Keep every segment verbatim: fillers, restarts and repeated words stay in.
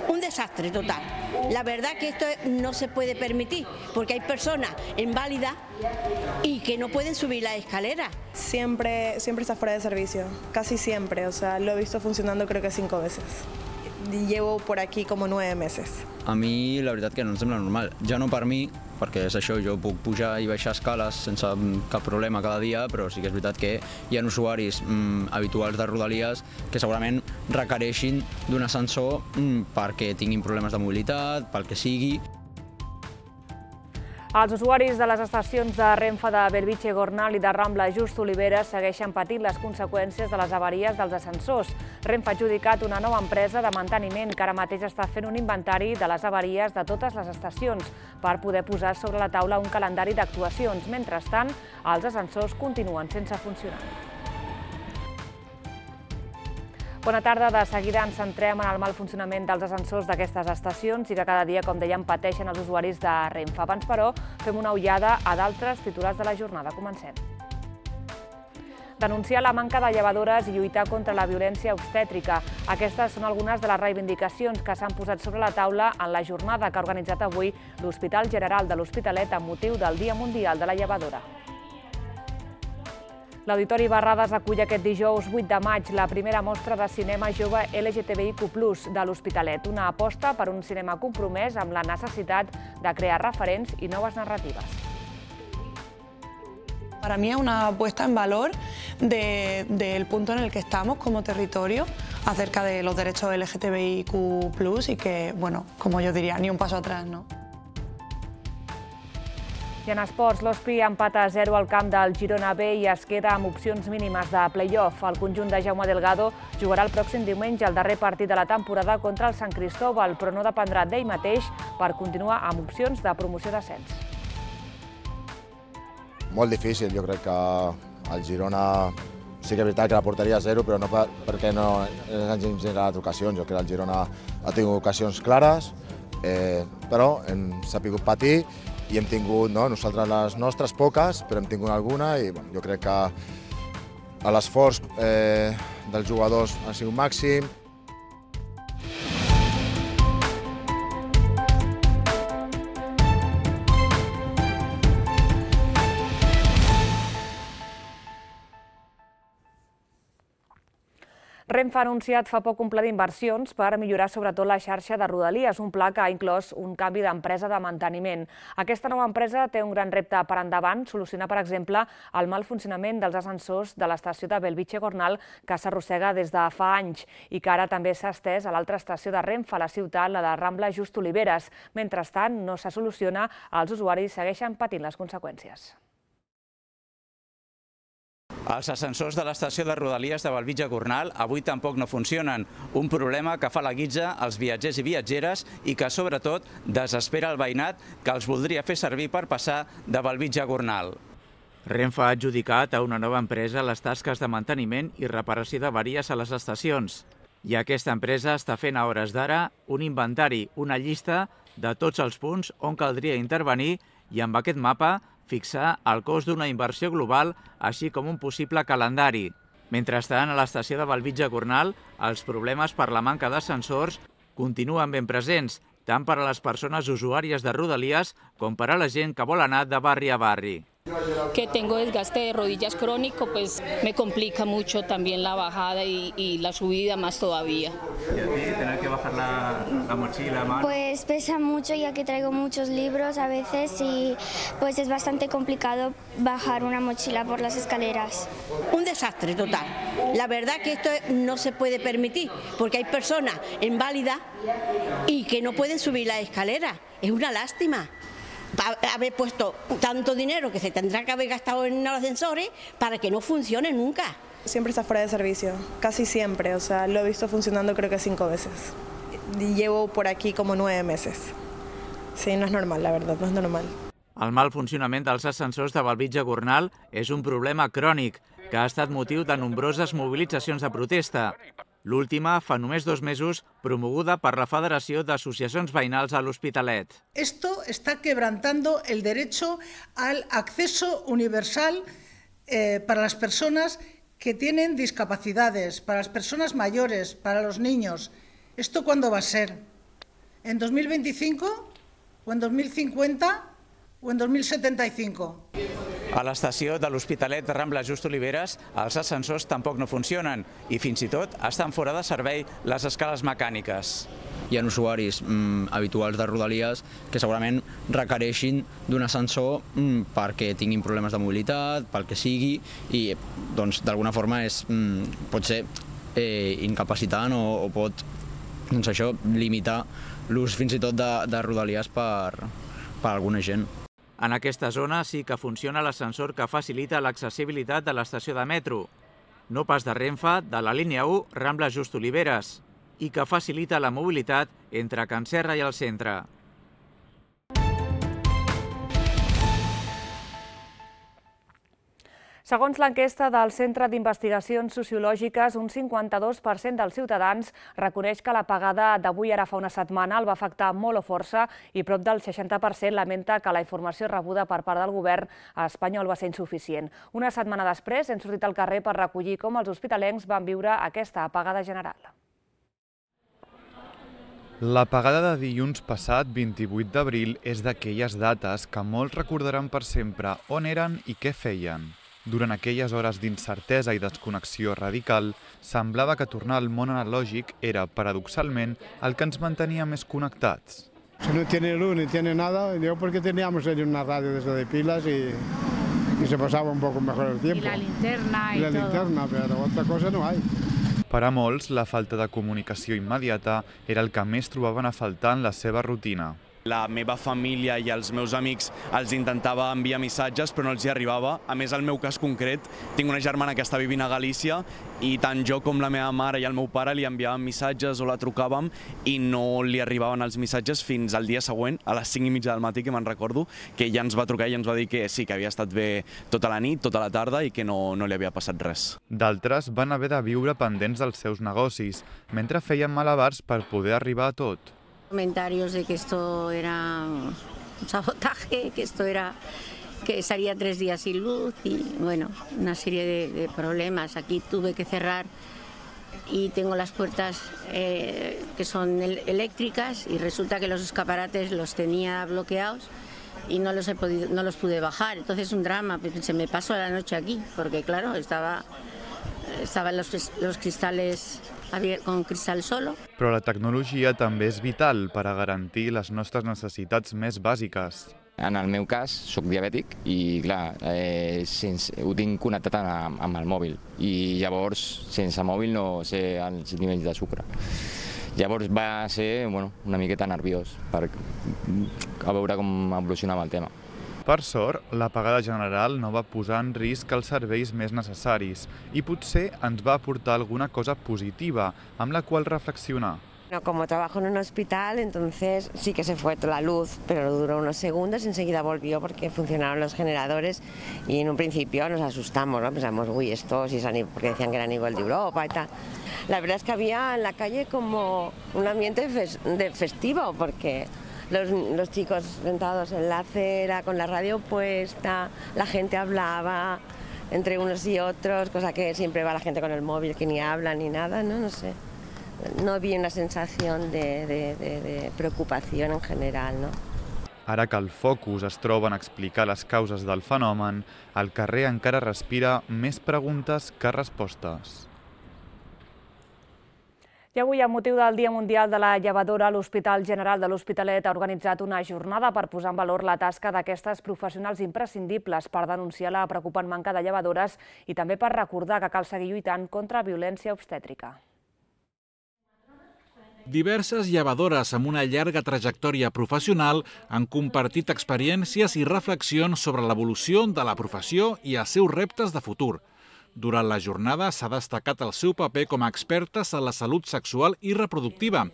Un desastre total. La verdad que esto no se puede permitir porque hay personas inválidas y que no pueden subir la escalera. Siempre, siempre está fuera de servicio, casi siempre. O sea, lo he visto funcionando creo que cinco veces. Llevo por aquí como nueve meses. A mi la veritat que no em sembla normal. Ja no per mi, perquè és això, jo puc pujar i baixar escales sense cap problema cada dia, però sí que és veritat que hi ha usuaris mm, habituals de Rodalies que segurament requereixin d'un ascensor mm, perquè tinguin problemes de mobilitat, pel que sigui. Els usuaris de les estacions de Renfe de Bellvitge i Gornal i de Rambla Just Oliveres segueixen patint les conseqüències de les avaries dels ascensors. Renfe ha adjudicat una nova empresa de manteniment que ara mateix està fent un inventari de les avaries de totes les estacions per poder posar sobre la taula un calendari d'actuacions. Mentrestant, els ascensors continuen sense funcionar. Bona tarda. De seguida ens centrem en el mal funcionament dels ascensors d'aquestes estacions i que cada dia, com dèiem, pateixen els usuaris de Renfe. Abans, però, fem una ullada a d'altres titulars de la jornada. Comencem. Denunciar la manca de llevadores i lluitar contra la violència obstètrica. Aquestes són algunes de les reivindicacions que s'han posat sobre la taula en la jornada que ha organitzat avui l'Hospital General de l'Hospitalet amb motiu del Dia Mundial de la Llevadora. L'Auditori Barrades acull aquest dijous vuit de maig la primera mostra de cinema jove L G T B I Q plus, de l'Hospitalet, una aposta per un cinema compromès amb la necessitat de crear referents i noves narratives. Para mí es una puesta en valor de, del punto en el que estamos como territorio acerca de los derechos L G T B I Q plus y que, bueno, como yo diría, ni un paso atrás, ¿no? I en esports, l'Ospi empata a zero al camp del Girona B i es queda amb opcions mínimes de play-off. El conjunt de Jaume Delgado jugarà el pròxim diumenge el darrer partit de la temporada contra el Sant Cristóbal, però no dependrà d'ell mateix per continuar amb opcions de promoció d'ascens. Molt difícil, jo crec que el Girona sí que és veritat que la porteria a zero, però no per, perquè no hagin generat ocasions. Jo crec que el Girona ha tingut ocasions clares, eh, però hem sabut patir i hem tingut, no, nosaltres les nostres poques, però hem tingut alguna i bueno, jo crec que l'esforç eh, dels jugadors ha sigut màxim. Renfe ha anunciat fa poc un pla d'inversions per millorar sobretot la xarxa de Rodalies, un pla que ha inclòs un canvi d'empresa de manteniment. Aquesta nova empresa té un gran repte per endavant, solucionar, per exemple, el mal funcionament dels ascensors de l'estació de Bellvitge i Gornal, que s'arrossega des de fa anys i que ara també s'ha estès a l'altra estació de Renfe, a la ciutat, la de Rambla Just Oliveres. Mentrestant, no se soluciona, els usuaris segueixen patint les conseqüències. Els ascensors de l'estació de Rodalies de Bellvitge-Gornal avui tampoc no funcionen, un problema que fa la guitza als viatgers i viatgeres i que, sobretot, desespera el veïnat que els voldria fer servir per passar de Bellvitge-Gornal. Renfe ha adjudicat a una nova empresa les tasques de manteniment i reparació d'avaries a les estacions. I aquesta empresa està fent a hores d'ara un inventari, una llista de tots els punts on caldria intervenir i amb aquest mapa fixar el cost d'una inversió global, així com un possible calendari. Mentrestant, a l'estació de Bellvitge-Gornal, els problemes per la manca d'ascensors continuen ben presents, tant per a les persones usuàries de Rodalies com per a la gent que vol anar de barri a barri. Que tengo desgaste de rodillas crónico, pues me complica mucho también la bajada y, y la subida más todavía. ¿Y a ti tener que bajar la, la mochila más? Pues pesa mucho ya que traigo muchos libros a veces y pues es bastante complicado bajar una mochila por las escaleras. Un desastre total. La verdad que esto no se puede permitir porque hay personas inválidas y que no pueden subir la escalera. Es una lástima haber puesto tanto dinero que se tendrá que haber gastado en los ascensores para que no funcione nunca. Siempre está fuera de servicio, casi siempre. O sea, lo he visto funcionando creo que cinco veces. Llevo por aquí como nueve meses. Sí, no es normal, la verdad, no es normal. El mal funcionament dels ascensors de Bellvitge-Gornal és un problema crònic que ha estat motiu de nombroses mobilitzacions de protesta. L'última, fa només dos mesos, promoguda per la Federació d'Associacions Veïnals a l'Hospitalet. Esto está quebrantando el derecho al acceso universal eh, para las personas que tienen discapacidades, para las personas mayores, para los niños. ¿Esto cuándo va a ser? ¿En dos mil veinticinco o en dos mil cincuenta o en dos mil setenta y cinco? A l'estació de l'Hospitalet de Rambla Just Oliveres els ascensors tampoc no funcionen i fins i tot estan fora de servei les escales mecàniques. Hi ha usuaris mm, habituals de Rodalies que segurament requereixin d'un ascensor mm, perquè tinguin problemes de mobilitat, pel que sigui, i doncs d'alguna forma és, mm, pot ser eh, incapacitant o, o pot doncs, això, limitar l'ús fins i tot de, de Rodalies per, per alguna gent. En aquesta zona sí que funciona l'ascensor que facilita l'accessibilitat de l'estació de metro, no pas de Renfe, de la línia u Rambla Just Oliveres, i que facilita la mobilitat entre Can Serra i el centre. Segons l'enquesta del Centre d'Investigacions Sociològiques, un cinquanta-dos per cent dels ciutadans reconeix que l'apagada d'avui ara fa una setmana el va afectar molt o força i prop del seixanta per cent lamenta que la informació rebuda per part del govern espanyol va ser insuficient. Una setmana després hem sortit al carrer per recollir com els hospitalencs van viure aquesta apagada general. L'apagada de dilluns passat, vint-i-vuit d'abril, és d'aquelles dates que molts recordaran per sempre on eren i què feien. Durant aquelles hores d'incertesa i desconnexió radical, semblava que tornar al món analògic era, paradoxalment, el que ens mantenia més connectats. Si no tiene luz ni tiene nada, yo porque teníamos ellos una radio desde de pilas y, y se pasaba un poco mejor el tiempo. Y la linterna y, y la todo. linterna, pero otra cosa no hay. Per a molts, la falta de comunicació immediata era el que més trobaven a faltar en la seva rutina. La meva família i els meus amics els intentava enviar missatges però no els hi arribava. A més, el meu cas concret, tinc una germana que està vivint a Galícia i tant jo com la meva mare i el meu pare li enviàvem missatges o la trucàvem i no li arribaven els missatges fins al dia següent, a les cinc i mitja del matí, que me'n recordo, que ella ens va trucar i ens va dir que sí, que havia estat bé tota la nit, tota la tarda i que no, no li havia passat res. D'altres van haver de viure pendents dels seus negocis, mentre feien malabars per poder arribar a tot. Comentarios de que esto era un sabotaje, que esto era que estaría tres días sin luz y bueno, una serie de, de problemas. Aquí tuve que cerrar y tengo las puertas eh, que son eléctricas y resulta que los escaparates los tenía bloqueados y no los he podido, no los pude bajar. Entonces es un drama, se me pasó la noche aquí porque claro, estaba estaban los, los cristales con cristal solo. Però la tecnologia també és vital per a garantir les nostres necessitats més bàsiques. En el meu cas, soc diabètic i, clar, eh, sense, ho tinc connectat amb, amb el mòbil i llavors, sense mòbil no sé els nivells de sucre. Llavors va ser bueno, una miqueta nerviós per a veure com evolucionava el tema. Per sort, l'apagada general no va posar en risc els serveis més necessaris i potser ens va aportar alguna cosa positiva amb la qual reflexionar. Como trabajo en un hospital, entonces sí que se fue toda la luz, pero duró unos segundos y enseguida volvió porque funcionaron los generadores y en un principio nos asustamos, ¿no? Pensamos, uy, esto, si es a nivel, porque decían que era a nivel de Europa y tal. La verdad es que había en la calle como un ambiente fes, de festivo, porque Los, los chicos sentados en la acera con la radio puesta, la gente hablaba entre unos y otros, cosa que siempre va la gente con el móvil que ni habla ni nada, no, no sé. No vi una sensación de, de, de, de preocupación en general, no? Ara que el focus es troba en explicar les causes del fenomen, el carrer encara respira més preguntes que respostes. I avui, amb motiu del Dia Mundial de la Llevadora, l'Hospital General de l'Hospitalet ha organitzat una jornada per posar en valor la tasca d'aquestes professionals imprescindibles per denunciar la preocupant manca de llevadores i també per recordar que cal seguir lluitant contra violència obstètrica. Diverses llevadores amb una llarga trajectòria professional han compartit experiències i reflexions sobre l'evolució de la professió i els seus reptes de futur. Durant la jornada s'ha destacat el seu paper com a expertes en la salut sexual i reproductiva,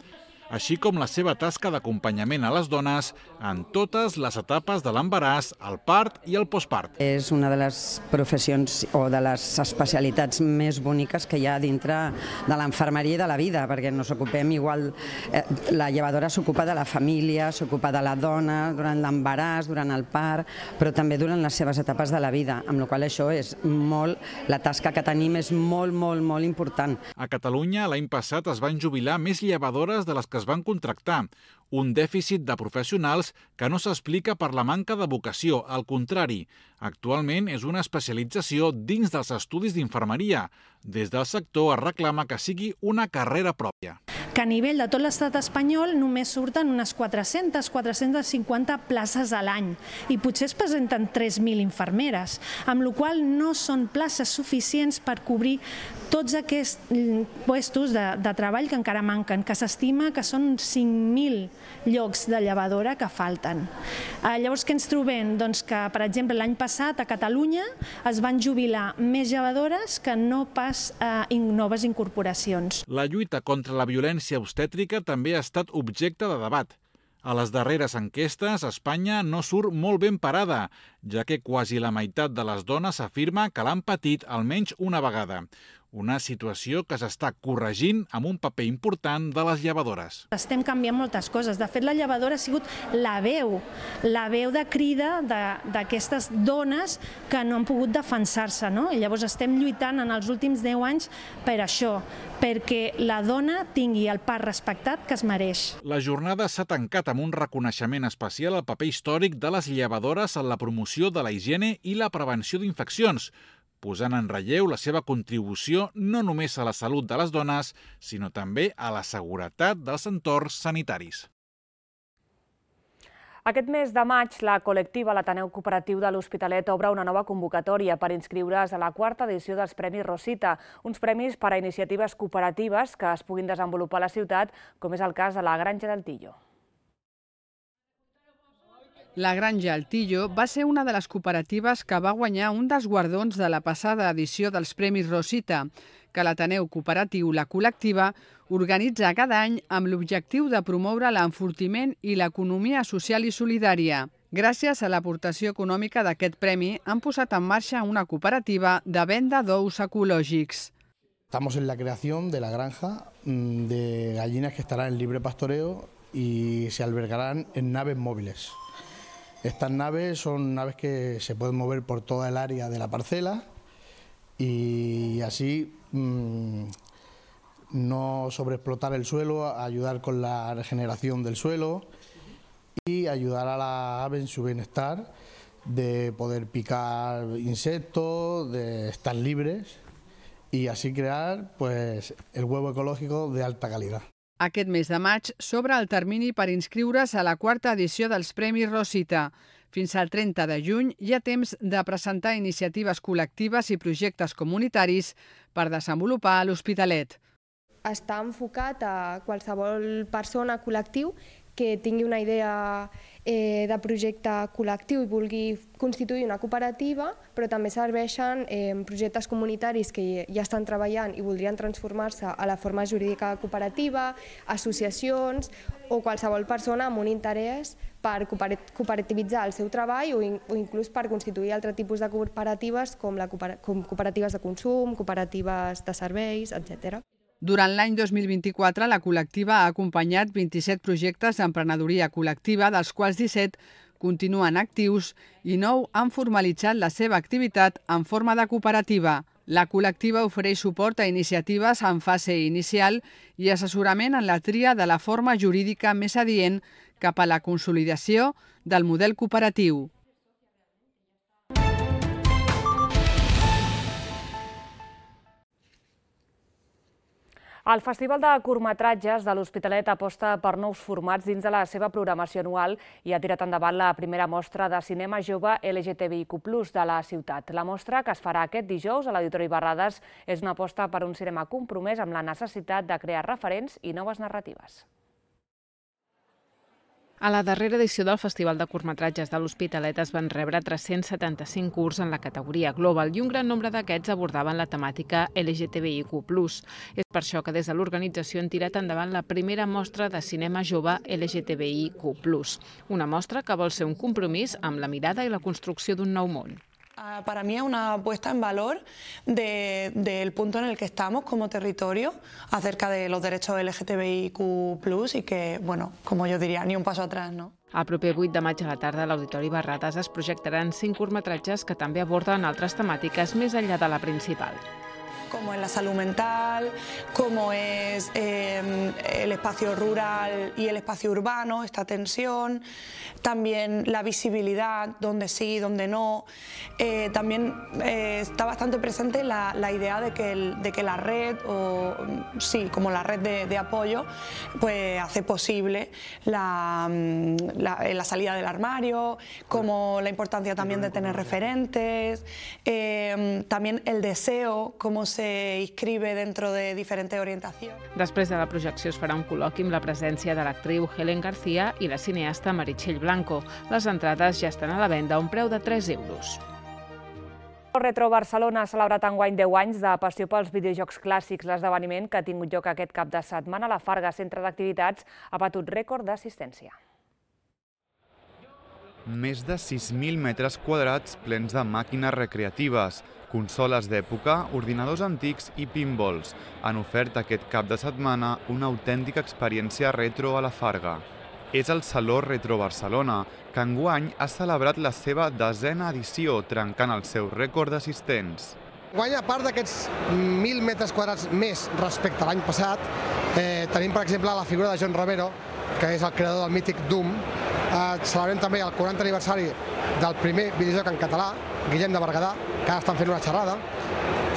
així com la seva tasca d'acompanyament a les dones en totes les etapes de l'embaràs, el part i el postpart. És una de les professions o de les especialitats més boniques que hi ha dintre de l'infermeria i de la vida, perquè nos ocupem igual, eh, la llevadora s'ocupa de la família, s'ocupa de la dona durant l'embaràs, durant el part, però també durant les seves etapes de la vida, amb la qual cosa això és molt, la tasca que tenim és molt, molt, molt important. A Catalunya l'any passat es van jubilar més llevadores de les que que es van contractar, un dèficit de professionals que no s'explica per la manca de vocació, al contrari. Actualment és una especialització dins dels estudis d'infermeria. Des del sector es reclama que sigui una carrera pròpia. Que a nivell de tot l'estat espanyol només surten unes quatre-centes a quatre-centes cinquanta places a l'any i potser es presenten tres mil infermeres, amb la qual cosa no són places suficients per cobrir tots aquests puestos de, de treball que encara manquen, que s'estima que són cinc mil llocs de llevadora que falten. Eh, llavors, què ens trobem? Doncs que, per exemple, l'any passat a Catalunya es van jubilar més llevadores que no pas eh, noves incorporacions. La lluita contra la violència obstètrica també ha estat objecte de debat. A les darreres enquestes, Espanya no surt molt ben parada, ja que quasi la meitat de les dones afirma que l'han patit almenys una vegada. Una situació que s'està corregint amb un paper important de les llevadores. Estem canviant moltes coses. De fet, la llevadora ha sigut la veu, la veu de crida d'aquestes dones que no han pogut defensar-se, no? I llavors estem lluitant en els últims deu anys per això, perquè la dona tingui el pas respectat que es mereix. La jornada s'ha tancat amb un reconeixement especial al paper històric de les llevadores en la promoció de la higiene i la prevenció d'infeccions, posant en relleu la seva contribució no només a la salut de les dones, sinó també a la seguretat dels entorns sanitaris. Aquest mes de maig, la col·lectiva l'Ateneu Cooperatiu de l'Hospitalet obre una nova convocatòria per inscriure's a la quarta edició dels Premis Rosita, uns premis per a iniciatives cooperatives que es puguin desenvolupar a la ciutat, com és el cas de la Granja del Tillo. La Granja El Tillo va ser una de les cooperatives que va guanyar un dels guardons de la passada edició dels Premis Rosita, que l'Ateneu Cooperatiu, la col·lectiva, organitza cada any amb l'objectiu de promoure l'enfortiment i l'economia social i solidària. Gràcies a l'aportació econòmica d'aquest premi, han posat en marxa una cooperativa de venda d'ous ecològics. Estamos en la creación de la granja de gallinas que estarán en libre pastoreo y se albergarán en naves móviles. Estas naves son naves que se pueden mover por toda el área de la parcela y así mmm, no sobreexplotar el suelo, ayudar con la regeneración del suelo y ayudar a la ave en su bienestar, de poder picar insectos, de estar libres y así crear pues, el huevo ecológico de alta calidad. Aquest mes de maig s'obre el termini per inscriure's a la quarta edició dels Premis Rosita. Fins al trenta de juny hi ha temps de presentar iniciatives col·lectives i projectes comunitaris per desenvolupar a l'Hospitalet. Està enfocat a qualsevol persona, col·lectiu, que tingui una idea eh, de projecte col·lectiu i vulgui constituir una cooperativa, però també serveixen eh, projectes comunitaris que ja estan treballant i voldrien transformar-se a la forma jurídica cooperativa, associacions o qualsevol persona amb un interès per cooperativitzar el seu treball o, in, o inclús per constituir altre tipus de cooperatives com, la, com cooperatives de consum, cooperatives de serveis, etcètera. Durant l'any dos mil vint-i-quatre, la col·lectiva ha acompanyat vint-i-set projectes d'emprenedoria col·lectiva, dels quals disset continuen actius i nou han formalitzat la seva activitat en forma de cooperativa. La col·lectiva ofereix suport a iniciatives en fase inicial i assessorament en la tria de la forma jurídica més adient cap a la consolidació del model cooperatiu. El Festival de Curtmetratges de l'Hospitalet aposta per nous formats dins de la seva programació anual i ha tirat endavant la primera mostra de cinema jove L G T B I Q plus, de la ciutat. La mostra, que es farà aquest dijous a l'Auditori Barrades, és una aposta per un cinema compromès amb la necessitat de crear referents i noves narratives. A la darrera edició del Festival de Curtmetratges de l'Hospitalet es van rebre tres-cents setanta-cinc curts en la categoria Global i un gran nombre d'aquests abordaven la temàtica L G T B I Q plus. És per això que des de l'organització han tirat endavant la primera mostra de cinema jove L G T B I Q plus, una mostra que vol ser un compromís amb la mirada i la construcció d'un nou món. Para mí es una puesta en valor de, del punto en el que estamos como territorio acerca de los derechos L G T B I Q plus, y que, bueno, como yo diría, ni un paso atrás, ¿no? El proper vuit de maig a la tarda a l'Auditori Barrades es projectaran cinc curtmetratges que també aborden altres temàtiques més enllà de la principal. como es la salud mental, como es eh, el espacio rural y el espacio urbano, esta tensión, también la visibilidad, donde sí, donde no. Eh, también eh, está bastante presente la, la idea de que, el, de que la red, o sí, como la red de, de apoyo, pues hace posible la, la, la salida del armario, como la importancia también de tener referentes, eh, también el deseo, cómo se inscribe dentro de diferentes orientacions. Després de la projecció es farà un col·loqui amb la presència de l'actriu Helen García i la cineasta Meritxell Blanco. Les entrades ja estan a la venda a un preu de tres euros. El Retro Barcelona ha celebrat enguany deu anys de passió pels videojocs clàssics. L'esdeveniment, que ha tingut lloc aquest cap de setmana a la Farga Centre d'Activitats, ha batut rècord d'assistència. Més de sis mil metres quadrats plens de màquines recreatives, consoles d'època, ordinadors antics i pinballs han ofert aquest cap de setmana una autèntica experiència retro a la Farga. És el Saló Retro Barcelona, que enguany ha celebrat la seva desena edició, trencant el seu rècord d'assistents. Enguany, a part d'aquests mil metres quadrats més respecte a l'any passat, eh, tenim, per exemple, la figura de John Romero, que és el creador del mític Doom. Eh, celebrem també el quaranta aniversari del primer videojoc en català, Guillem de Berguedà, que ara estan fent una xerrada.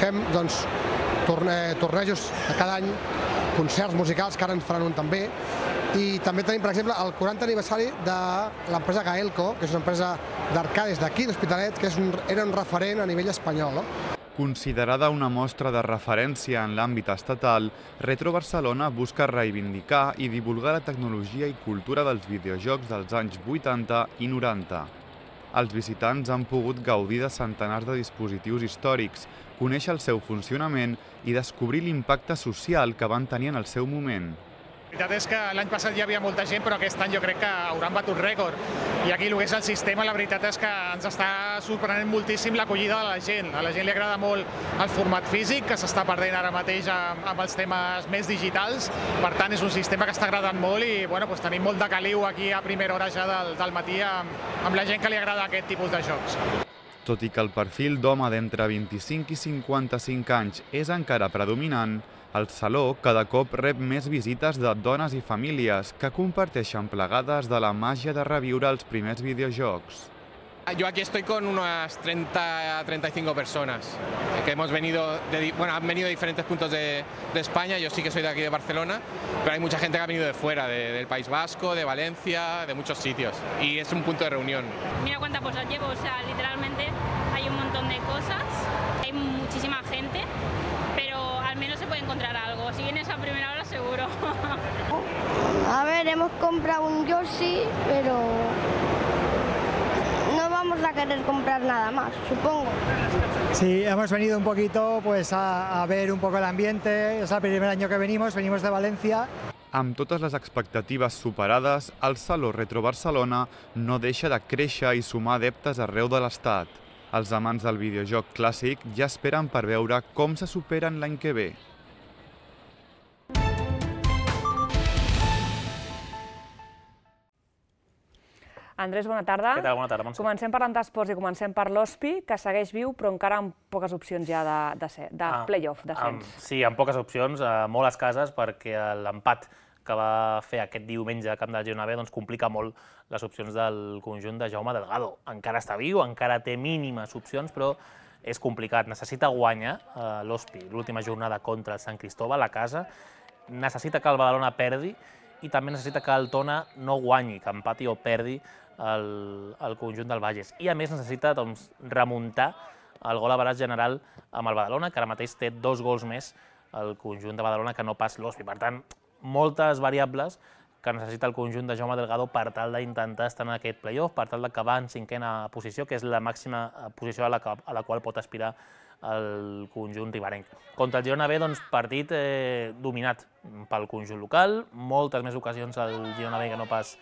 Fem, doncs, torne, tornejos de cada any, concerts musicals, que ara en faran un també. I també tenim, per exemple, el quaranta aniversari de l'empresa Gaelco, que és una empresa d'arcades d'aquí, d'Hospitalet, que és un, era un referent a nivell espanyol. No? Considerada una mostra de referència en l'àmbit estatal, Retro Barcelona busca reivindicar i divulgar la tecnologia i cultura dels videojocs dels anys vuitanta i noranta. Els visitants han pogut gaudir de centenars de dispositius històrics, conèixer el seu funcionament i descobrir l'impacte social que van tenir en el seu moment. La veritat és que l'any passat hi havia molta gent, però aquest any jo crec que hauran batut rècord. I aquí el que és el sistema, la veritat és que ens està sorprenent moltíssim l'acollida de la gent. A la gent li agrada molt el format físic, que s'està perdent ara mateix amb els temes més digitals. Per tant, és un sistema que està agradant molt i bueno, doncs tenim molt de caliu aquí a primera hora ja del, del matí amb, amb la gent que li agrada aquest tipus de jocs. Tot i que el perfil d'home d'entre vint-i-cinc i cinquanta-cinc anys és encara predominant, el saló cada cop rep més visites de dones i famílies que comparteixen plegades de la màgia de reviure els primers videojocs. Yo aquí estoy con unas treinta a treinta y cinco personas que hemos venido, de, bueno, han venido de diferentes puntos de, de España. Yo sí que soy de aquí de Barcelona, pero hay mucha gente que ha venido de fuera, de, del País Vasco, de Valencia, de muchos sitios. Y es un punto de reunión. Mira cuántas cosas llevo, o sea, literalmente hay un montón de cosas, hay muchísima gente, pero al menos se puede encontrar algo. Si vienes a primera hora, seguro. A ver, hemos comprado un Yoshi, pero no vamos a querer comprar nada más, supongo. Sí, hemos venido un poquito pues, a, a ver un poco el ambiente. Es el primer año que venimos, venimos de Valencia. Amb totes les expectatives superades, el Saló Retro Barcelona no deixa de créixer i sumar adeptes arreu de l'Estat. Els amants del videojoc clàssic ja esperen per veure com se superen l'any que ve. Andrés, bona tarda. Què tal? Bona tarda, Montse. Comencem parlant d'esports i comencem per l'Hospi, que segueix viu, però encara amb poques opcions ja de, de, de ah, play-off, d'ascens. Um, sí, amb poques opcions, uh, molt escasses, perquè l'empat que va fer aquest diumenge a Camp de Girona B doncs, complica molt les opcions del conjunt de Jaume Delgado. Encara està viu, encara té mínimes opcions, però és complicat. Necessita guanyar uh, l'Hospi, l'última jornada contra el Sant Cristóbal a casa, necessita que el Badalona perdi i també necessita que el Tona no guanyi, que empati o perdi el, el conjunt del Bages. I a més necessita doncs, remuntar el gol a barat general amb el Badalona, que ara mateix té dos gols més el conjunt de Badalona que no pas l'Hospi. Per tant, moltes variables que necessita el conjunt de Jaume Delgado per tal d'intentar estar en aquest play-off, per tal d'acabar en cinquena posició, que és la màxima posició a la, que, a la qual pot aspirar el conjunt riberenc. Contra el Girona B, doncs, partit eh, dominat pel conjunt local, moltes més ocasions al Girona B que no pas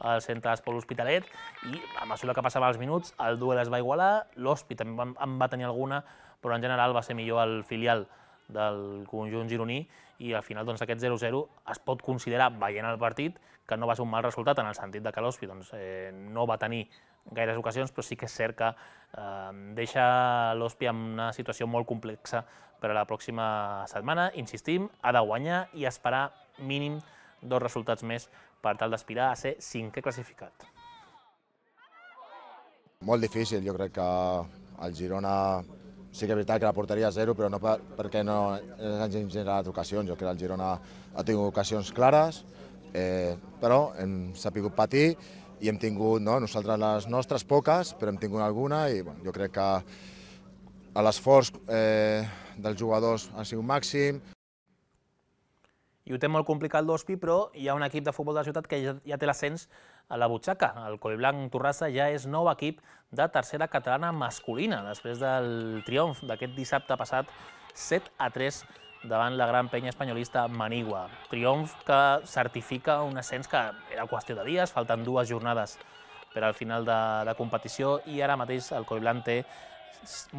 al centre d'Esport L'Hospitalet, i a mesura que passaven els minuts, el duel es va igualar, l'Hospi també en va tenir alguna, però en general va ser millor el filial del conjunt gironí i al final aquest zero zero es pot considerar, veient el partit, que no va ser un mal resultat en el sentit que l'Hospi no va tenir gaires ocasions, però sí que és cert que deixa l'Hospi en una situació molt complexa per a la pròxima setmana. Insistim, ha de guanyar i esperar mínim dos resultats més per tal d'aspirar a ser cinquè classificat. Molt difícil, jo crec que el Girona sí que és veritat que la porteria és zero, però no perquè no ens han generat ocasions. Jo crec que el Girona ha tingut ocasions clares, però hem sabut patir i hem tingut nosaltres les nostres poques, però hem tingut alguna i jo crec que l'esforç dels jugadors ha sigut màxim. I ho té molt complicat l'Hospi, però hi ha un equip de futbol de la ciutat que ja té l'ascens a la butxaca. El Collblanc Torrassa ja és nou equip de tercera catalana masculina, després del triomf d'aquest dissabte passat set a tres davant la gran penya espanyolista Manigua. Triomf que certifica un ascens que era qüestió de dies, falten dues jornades per al final de competició i ara mateix el Collblanc té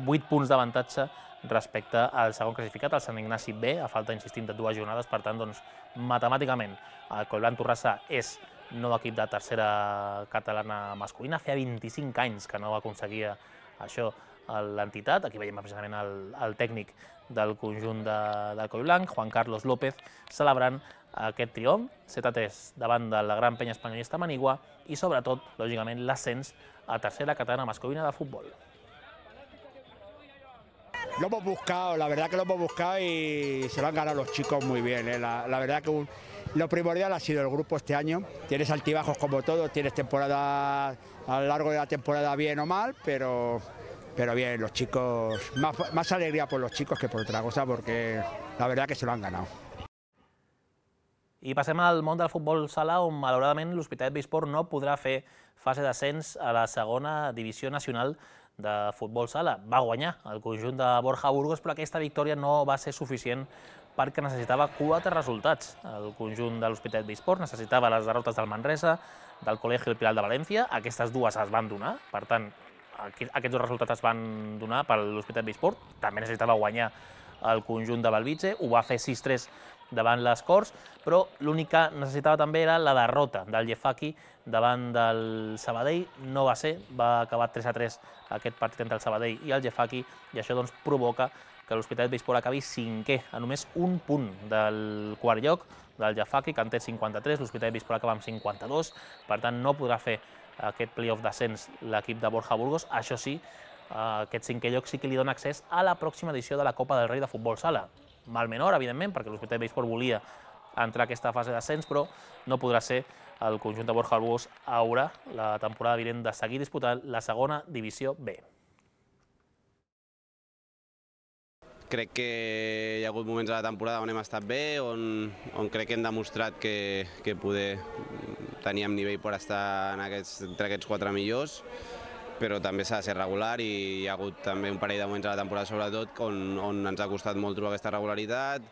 vuit punts d'avantatge respecte al segon classificat, el Sant Ignasi B, a falta, insistim, de dues jornades. Per tant, doncs, matemàticament, el Collblanc Torrassa és nou equip de tercera catalana masculina. Feia vint-i-cinc anys que no aconseguia això l'entitat. Aquí veiem precisament el tècnic del conjunt del Collblanc, Juan Carlos López, celebrant aquest triomf, set a tres davant de la gran penya espanyolista Manigua i, sobretot, lògicament, l'ascens a tercera catalana masculina de futbol. Lo hemos buscado, la verdad que lo hemos buscado y se lo han ganado los chicos muy bien. ¿eh? La, la verdad que un, lo primordial ha sido el grupo este año. Tienes altibajos como todo, tienes temporada a lo largo de la temporada bien o mal, pero, pero bien, los chicos, más, más alegría por los chicos que por otra cosa, porque la verdad que se lo han ganado. I passem al món del futbol sala, on malauradament l'Hospitalet Bisport no podrà fer fase d'ascens a la segona divisió nacional de futbol sala. Va guanyar el conjunt de Borja Burgos, però aquesta victòria no va ser suficient perquè necessitava quatre resultats. El conjunt de l'Hospitalet Bisport necessitava les derrotes del Manresa, del Col·legi El Pilar de València. Aquestes dues es van donar, per tant, aquests dos resultats es van donar per l'Hospitalet Bisport. També necessitava guanyar el conjunt de Belvitge, ho va fer sis tres davant les Corts, però l'únic que necessitava també era la derrota del Llefaqui davant del Sabadell. No va ser, va acabar tres a tres aquest partit entre el Sabadell i el Llefaqui, i això doncs provoca que l'Hospitalet Bisport acabi cinquè, a només un punt del quart lloc del Llefaqui, que en té cinquanta-tres, l'Hospitalet Bisport acaba amb cinquanta-dos, per tant no podrà fer aquest play-off d'ascens l'equip de Borja Burgos. Això sí, aquest cinquè lloc sí que li dona accés a la pròxima edició de la Copa del Rei de Futbol Sala. Mal menor, evidentment, perquè l'Hospitalet Bisport volia entrar a aquesta fase d'ascens, però no podrà ser. El conjunt de Borja Burgos haurà la temporada vinent de seguir disputant la segona divisió B. Crec que hi ha hagut moments de la temporada on hem estat bé, on, on crec que hem demostrat que, que poder teníem nivell per estar en aquests, entre aquests quatre millors, però també s'ha de ser regular i hi ha hagut també un parell de moments de la temporada sobretot on, on ens ha costat molt trobar aquesta regularitat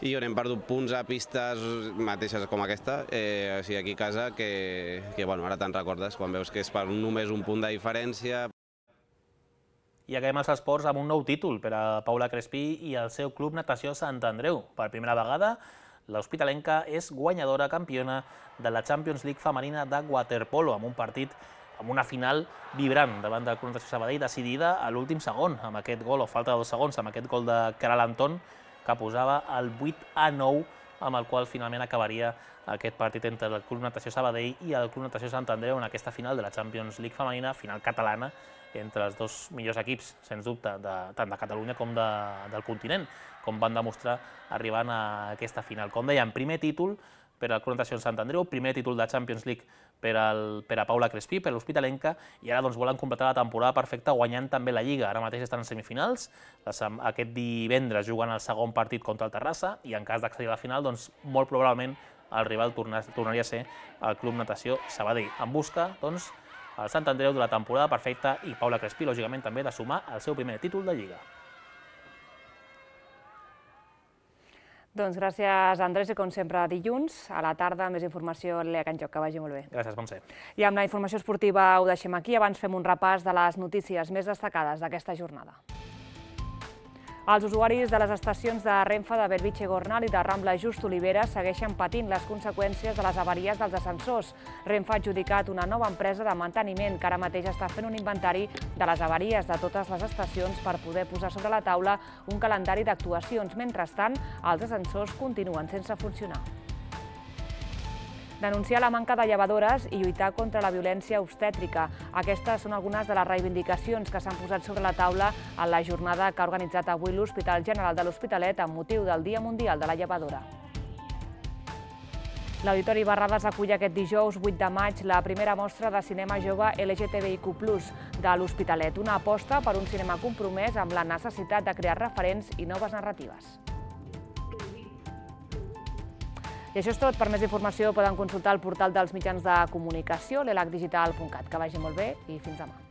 i on hem perdut punts a pistes mateixes com aquesta, eh, o sigui, aquí a casa, que, que bueno, ara te'n recordes quan veus que és per només un punt de diferència. I acabem els esports amb un nou títol per a Paula Crespí i el seu Club Natació Sant Andreu. Per primera vegada, l'hospitalenca és guanyadora campiona de la Champions League femenina de waterpolo, amb un partit amb una final vibrant davant del Club Natació Sabadell, decidida a l'últim segon, amb aquest gol, o falta de dos segons, amb aquest gol de Caral Anton, que posava el vuit a nou, amb el qual finalment acabaria aquest partit entre el Club Natació Sabadell i el Club Natació Sant Andreu en aquesta final de la Champions League femenina, final catalana, entre els dos millors equips, sens dubte, de, tant de Catalunya com de, del continent, com van demostrar arribant a aquesta final. Com dèiem, primer títol per al Club Natació Sant Andreu, primer títol de Champions League per, al, per a Paula Crespí, per l'Hospitalenca, i ara doncs, volen completar la temporada perfecta guanyant també la Lliga. Ara mateix estan en semifinals, aquest divendres juguen el segon partit contra el Terrassa, i en cas d'accedir a la final, doncs, molt probablement el rival tornaria a ser el Club Natació Sabadell, en busca doncs, el Sant Andreu de la temporada perfecta i Paula Crespí, lògicament, també de sumar el seu primer títol de Lliga. Doncs gràcies, Andrés, i com sempre dilluns, a la tarda, més informació a Lea Canjoc, que vagi molt bé. Gràcies, Montse. I amb la informació esportiva ho deixem aquí, abans fem un repàs de les notícies més destacades d'aquesta jornada. Els usuaris de les estacions de Renfe de Bellvitge Gornal i de Rambla Just Olivera segueixen patint les conseqüències de les avaries dels ascensors. Renfe ha adjudicat una nova empresa de manteniment que ara mateix està fent un inventari de les avaries de totes les estacions per poder posar sobre la taula un calendari d'actuacions. Mentrestant, els ascensors continuen sense funcionar. Denunciar la manca de llevadores i lluitar contra la violència obstètrica. Aquestes són algunes de les reivindicacions que s'han posat sobre la taula en la jornada que ha organitzat avui l'Hospital General de l'Hospitalet amb motiu del Dia Mundial de la Llevadora. L'Auditori Barrades acull aquest dijous vuit de maig la primera mostra de cinema jove L G T B I Q plus, de l'Hospitalet, una aposta per un cinema compromès amb la necessitat de crear referents i noves narratives. I això és tot. Per més informació poden consultar el portal dels mitjans de comunicació, l'elac digital punt cat. Que vagi molt bé i fins demà.